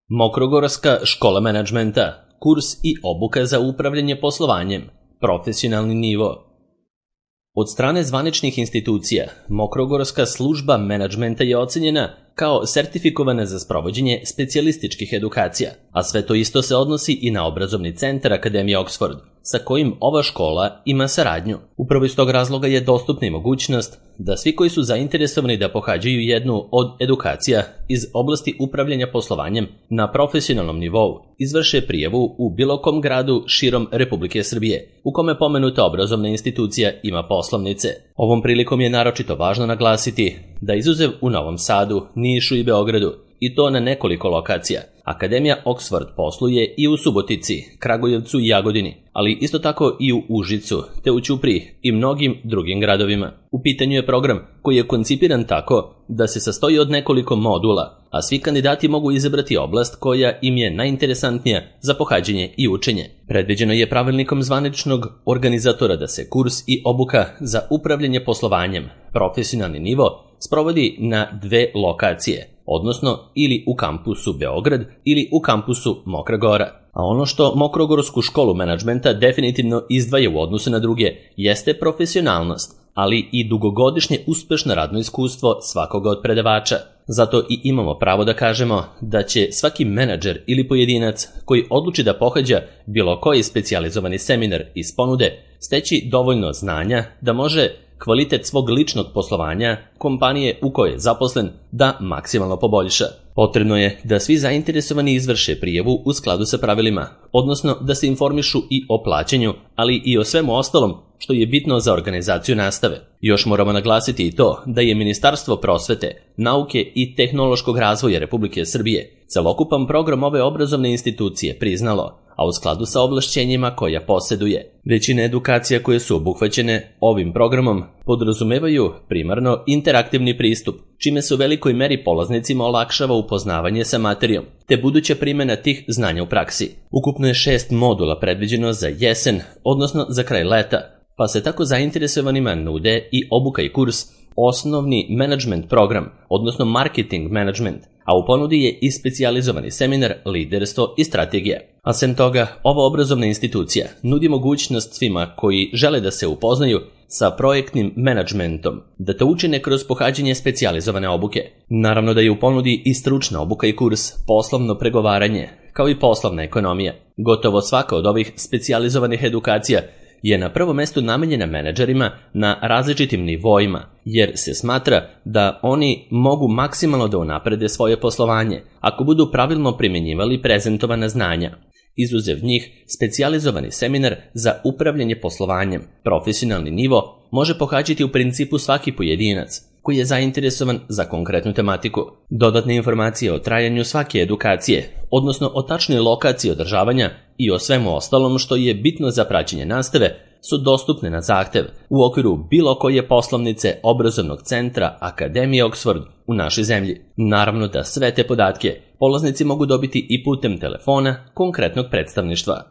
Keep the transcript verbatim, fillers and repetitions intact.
Mokrogorska škola menadžmenta, kurs i obuka za upravljanje poslovanjem, profesionalni nivo. Od strane zvaničnih institucija, Mokrogorska služba menadžmenta je ocenjena kao sertifikovana za sprovođenje specijalističkih edukacija, a sve to isto se odnosi i na obrazovni centar Akademije Oxford, sa kojim ova škola ima saradnju. Upravo iz tog razloga je dostupna i mogućnost da svi koji su zainteresovani da pohađaju jednu od edukacija iz oblasti upravljanja poslovanjem na profesionalnom nivou izvrše prijavu u bilo kom gradu širom Republike Srbije, u kome pomenuta obrazovna institucija ima poslovnice. Ovom prilikom je naročito važno naglasiti da izuzev u Novom Sadu, Nišu i Beogradu, i to na nekoliko lokacija, Akademija Oxford posluje i u Subotici, Kragujevcu i Jagodini, ali isto tako i u Užicu, te u Ćupriji i mnogim drugim gradovima. U pitanju je program koji je koncipiran tako da se sastoji od nekoliko modula, a svi kandidati mogu izabrati oblast koja im je najinteresantnija za pohađanje i učenje. Predviđeno je pravilnikom zvaničnog organizatora da se kurs i obuka za upravljanje poslovanjem, profesionalni nivo, sprovodi na dve lokacije, odnosno ili u kampusu Beograd ili u kampusu Mokra Gora. A ono što Mokrogorsku školu menadžmenta definitivno izdvaja u odnosu na druge jeste profesionalnost, ali i dugogodišnje uspešno radno iskustvo svakoga od predavača. Zato i imamo pravo da kažemo da će svaki menadžer ili pojedinac koji odluči da pohađa bilo koji specijalizovani seminar iz ponude steći dovoljno znanja da može kvalitet svog ličnog poslovanja kompanije u kojoj je zaposlen da maksimalno poboljša. Potrebno je da svi zainteresovani izvrše prijavu u skladu sa pravilima, odnosno da se informišu i o plaćanju, ali i o svemu ostalom što je bitno za organizaciju nastave. Još moramo naglasiti i to da je Ministarstvo prosvete, nauke i tehnološkog razvoja Republike Srbije celokupan program ove obrazovne institucije priznalo, a u skladu sa ovlašćenjima koja posjeduje. Većina edukacija koje su obuhvaćene ovim programom podrazumevaju primarno interaktivni pristup, čime se u velikoj meri polaznicima olakšava upoznavanje sa materijom, te buduća primjena tih znanja u praksi. Ukupno je šest modula predviđeno za jesen, odnosno za kraj leta, pa se tako zainteresovanima nude i obuka i kurs osnovni menadžment program, odnosno marketing management, a u ponudi je i specijalizovani seminar liderstvo i strategija. A sem toga, ova obrazovna institucija nudi mogućnost svima koji žele da se upoznaju sa projektnim menadžmentom, da to učine kroz pohađanje specijalizovane obuke. Naravno da je u ponudi i stručna obuka i kurs poslovno pregovaranje, kao i poslovna ekonomija. Gotovo svaka od ovih specijalizovanih edukacija je na prvom mestu namenjena menadžerima na različitim nivoima, jer se smatra da oni mogu maksimalno da unaprede svoje poslovanje ako budu pravilno primjenjivali prezentovana znanja. Izuzev njih, specijalizovani seminar za upravljanje poslovanjem, profesionalni nivo, može pohađati u principu svaki pojedinac koji je zainteresovan za konkretnu tematiku. Dodatne informacije o trajanju svake edukacije, odnosno o tačnoj lokaciji održavanja i o svemu ostalom što je bitno za praćenje nastave, su dostupne na zahtev u okviru bilo koje poslovnice obrazovnog centra Akademije Oxford u našoj zemlji. Naravno da sve te podatke polaznici mogu dobiti i putem telefona konkretnog predstavništva.